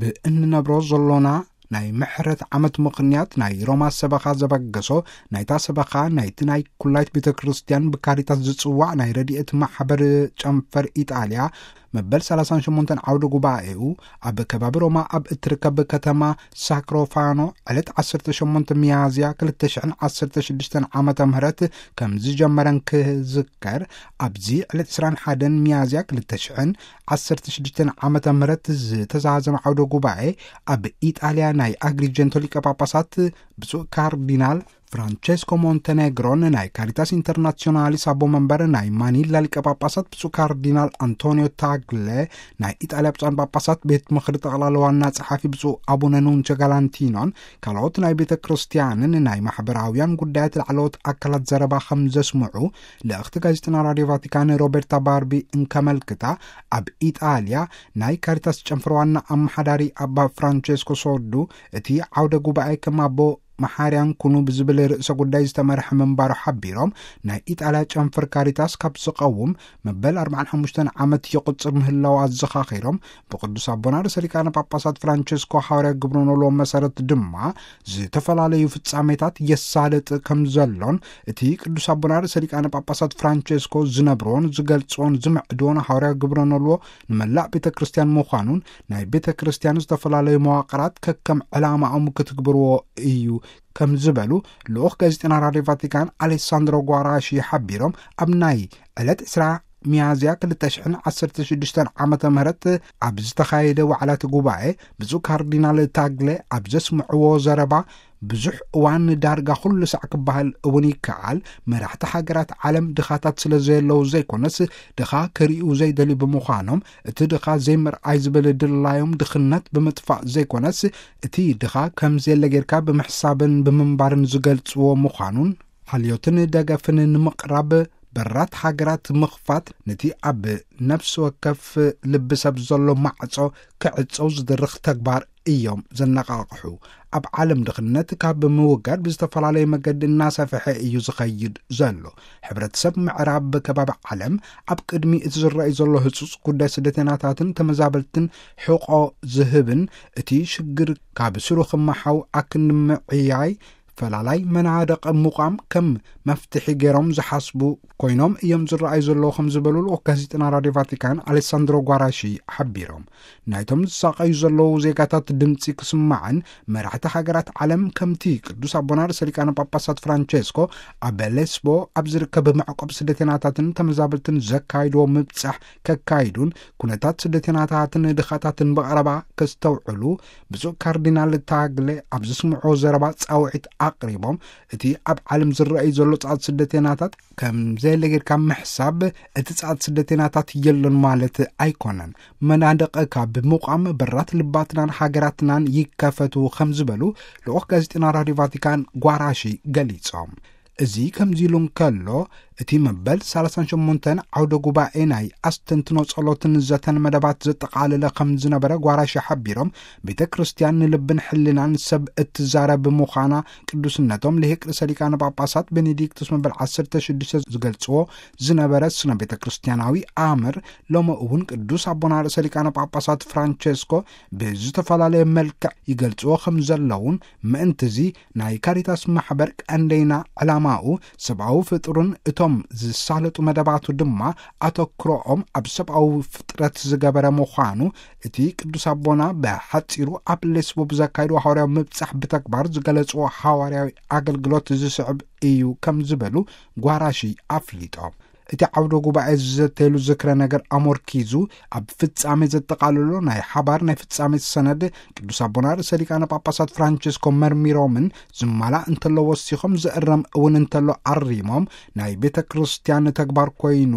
ብእንነብሮ ዘሎና ናይ ምሕረት ዓመት ምኽንያት ናይ ሮማ ሰበኻ ዘበገሶ፣ ናይታ ሰበኻ ናይቲ ናይ ኩላይት ቤተ ክርስቲያን ብካሪታስ ዝጽዋዕ ናይ ረድኤት ማሕበር ጨንፈር ኢጣልያ መበል ሰላሳን ሸሞንተን ዓውደ ጉባኤኡ ኣብ ከባቢ ሮማ ኣብ እትርከብ ከተማ ሳክሮፋኖ ዕለት ዓሰርተ ሸሞንተ ሚያዝያ ክልተ ሽሕን ዓሰርተ ሽዱሽተን ዓመተ ምህረት ከም ዝጀመረን ክዝከር፣ ኣብዚ ዕለት ዕስራን ሓደን ሚያዝያ ክልተ ሽሕን ዓሰርተ ሽዱሽተን ዓመተ ምህረት ዝተዛዘመ ዓውደ ጉባኤ ኣብ ኢጣልያ ናይ ኣግሪጀንቶ ሊቀ ጳጳሳት ብፁዕ ካርዲናል ፍራንቸስኮ ሞንቴኔግሮን ናይ ካሪታስ ኢንተርናሲዮናሊስ ኣቦ መንበር ናይ ማኒላ ሊቀ ጳጳሳት ብፁዕ ካርዲናል ኣንቶኒዮ ታግለ፣ ናይ ኢጣልያ ብፁዓን ጳጳሳት ቤት ምኽሪ ጠቕላላ ዋና ጸሓፊ ብፁዕ ኣቡነ ኑንቸ ጋላንቲኖን ካልኦት ናይ ቤተ ክርስቲያንን ናይ ማሕበራውያን ጉዳያት ላዕለዎት ኣካላት ዘረባ ከም ዘስምዑ ልእኽቲ ጋዜጠና ራድዮ ቫቲካን ሮቤርታ ባርቢ እንከመልክታ፣ ኣብ ኢጣልያ ናይ ካሪታስ ጨንፈር ዋና ኣመሓዳሪ ኣባ ፍራንቸስኮ ሶዱ፣ እቲ ዓውደ ጉባኤ ከም ኣቦ መሓርያን ኩኑ ብዝብል ርእሰ ጉዳይ ዝተመርሐ ምንባሩ ሓቢሮም፣ ናይ ኢጣልያ ጨንፈር ካሪታስ ካብ ዝቐውም መበል ኣርባዓን ሓሙሽተን ዓመት ይቕጽር ምህላው ኣዘኻኺሮም፣ ብቅዱስ ኣቦና ርእሰ ሊቃነ ጳጳሳት ፍራንቸስኮ ሓዋርያ ግብረ ኖልዎ መሰረት ድማ ዝተፈላለዩ ፍጻሜታት የሳልጥ ከም ዘሎን፣ እቲ ቅዱስ ኣቦና ርእሰ ሊቃነ ጳጳሳት ፍራንቸስኮ ዝነብሮን ዝገልጽዎን ዝምዕድዎን ሓዋርያ ግብረ ኖልዎ ንመላእ ቤተ ክርስቲያን ምዃኑን፣ ናይ ቤተ ክርስቲያን ዝተፈላለዩ መዋቕራት ከከም ዕላማኦም ክትግብርዎ እዩ ከም ዝበሉ ልኡኽ ጋዜጠና ራድዮ ቫቲካን ኣሌሳንድሮ ጓራሺ ሓቢሮም፣ ኣብ ናይ ዕለት ዕስራ ሚያዝያ ክልተ ሽሕን ዓሰርተ ሽዱሽተን ዓመተ ምህረት ኣብ ዝተኻየደ ዋዕላቲ ጉባኤ ብፁዕ ካርዲናል ታግለ ኣብ ዘስምዕዎ ዘረባ፣ ብዙሕ እዋን ዳርጋ ኩሉ ሳዕ ክበሃል እውን ይከኣል፣ መራሕቲ ሃገራት ዓለም ድኻታት ስለ ዘየለዉ ዘይኮነስ፣ ድኻ ክርእዩ ዘይደልዩ ብምዃኖም፣ እቲ ድኻ ዘይምርኣይ ዝብል ድላዮም ድኽነት ብምጥፋእ ዘይኮነስ፣ እቲ ድኻ ከም ዘየለ ጌርካ ብምሕሳብን ብምንባርን ዝገልጽዎ ምዃኑን፣ ሓልዮትን ደገፍን ንምቕራብ በራት ሃገራት ምኽፋት፣ ነቲ ኣብ ነፍሲ ወከፍ ልቢ ሰብ ዘሎ ማዕጾ ክዕጸው ዝድርኽ ተግባር እዮም ዘነቓቕሑ። ኣብ ዓለም ድኽነት ካብ ምውጋድ ብዝተፈላለየ መገዲ እናሰፍሐ እዩ ዝኸይድ ዘሎ። ሕብረተሰብ ምዕራብ ከባቢ ዓለም ኣብ ቅድሚ እቲ ዝረኣይ ዘሎ ህጹጽ ጉዳይ ስደተኛታትን ተመዛበልትን ሕቖ ዝህብን፣ እቲ ሽግር ካብ ስሩ ክመሓው ኣክንዲ ምዕያይ ፈላላይ መናድቕ ምቋም ከም መፍትሒ ገይሮም ዝሓስቡ ኮይኖም እዮም ዝረኣዩ ዘለዉ ከም ዝበሉ ልኡኽ ጋዜጠና ራድዮ ቫቲካን ኣሌሳንድሮ ጓራሺ ሓቢሮም። ናይቶም ዝሳቐዩ ዘለዉ ዜጋታት ድምጺ ክስማዕን መራሕቲ ሃገራት ዓለም ከምቲ ቅዱስ ኣቦና ርእሰ ሊቃነ ጳጳሳት ፍራንቸስኮ ኣብ ሌስቦ ኣብ ዝርከብ መዕቆብ ስደተኛታትን ተመዛበልትን ዘካይድዎ ምብጻሕ ከካይዱን ኩነታት ስደተኛታትን ድኻታትን ብቐረባ ከስተውዕሉ ብፁዕ ካርዲናል ታግለ ኣብ ዘስምዕዎ ዘረባ ጻውዒት ኣቕሪቦም፣ እቲ ኣብ ዓለም ዝረኣዩ ዘሎ ጻዕት ስደተኛታት ከም ዘየለ ጌርካ ምሕሳብ፣ እቲ ጻዕት ስደተኛታት የሎን ማለት ኣይኮነን። መናድቕ ካብ ምቋም በራት ልባትናን ሃገራትናን ይከፈቱ ከም ዝበሉ ልኡኽ ጋዜጠና ራድዮ ቫቲካን ጓራሺ ገሊጾም። እዚ ከምዚ ኢሉ እንከሎ፣ እቲ መበል ሰላሳን ሸሞንተን ዓውደ ጉባኤ ናይ ኣስተንትኖ ጸሎትን ዘተን መደባት ዘጠቓለለ ከም ዝነበረ ጓራሺ ሓቢሮም፣ ቤተ ክርስቲያን ንልብን ሕልናን ሰብ እትዛረብ ምዃና ቅዱስነቶም ልሂቅ ርእሰ ሊቃነ ጳጳሳት ቤኔዲክቱስ መበል ዓሰርተ ሽዱሽተ ዝገልጽዎ ዝነበረ ስነ ቤተ ክርስቲያናዊ ኣምር፣ ሎሚ እውን ቅዱስ ኣቦና ርእሰ ሊቃነ ጳጳሳት ፍራንቸስኮ ብዝተፈላለየ መልክዕ ይገልጽዎ ከም ዘለውን፣ ምእንትዚ ናይ ካሪታስ ማሕበር ቀንደይና ዕላማኡ ሰብኣዊ ፍጡርን እቶም ዝሳለጡ መደባቱ ድማ ኣተኩሮኦም ኣብ ሰብኣዊ ፍጥረት ዝገበረ ምዃኑ፣ እቲ ቅዱስ ኣቦና ብሓጺሩ ኣብ ሌስቦ ብዘካይድዎ ሃዋርያዊ ምብጻሕ ብተግባር ዝገለጽዎ ሃዋርያዊ ኣገልግሎት ዝስዕብ እዩ ከም ዝበሉ ጓራሺ ኣፍሊጦም። እቲ ዓውደ ጉባኤ ዝዘተየሉ ዝክረ ነገር ኣሞርኪዙ ኣብ ፍጻሜ ዘጠቓልሎ ናይ ሓባር ናይ ፍጻሜ ሰነድ፣ ቅዱስ ኣቦና ርእሰ ሊቃነ ጳጳሳት ፍራንቸስኮ መርሚሮምን ዝማላእ እንተሎ ወሲኾም፣ ዝእረም እውን እንተሎ ኣሪሞም፣ ናይ ቤተ ክርስቲያን ተግባር ኮይኑ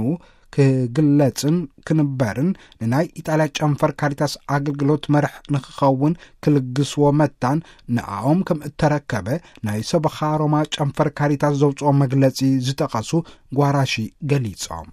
ክግለጽን ክንበርን፣ ንናይ ኢጣልያ ጨንፈር ካሪታስ ኣገልግሎት መርሕ ንክኸውን ክልግስዎ መታን ንኣኦም ከም እተረከበ ናይ ሰበኻ ሮማ ጨንፈር ካሪታስ ዘውፅኦ መግለጺ ዝጠቐሱ ጓራሺ ገሊጾም።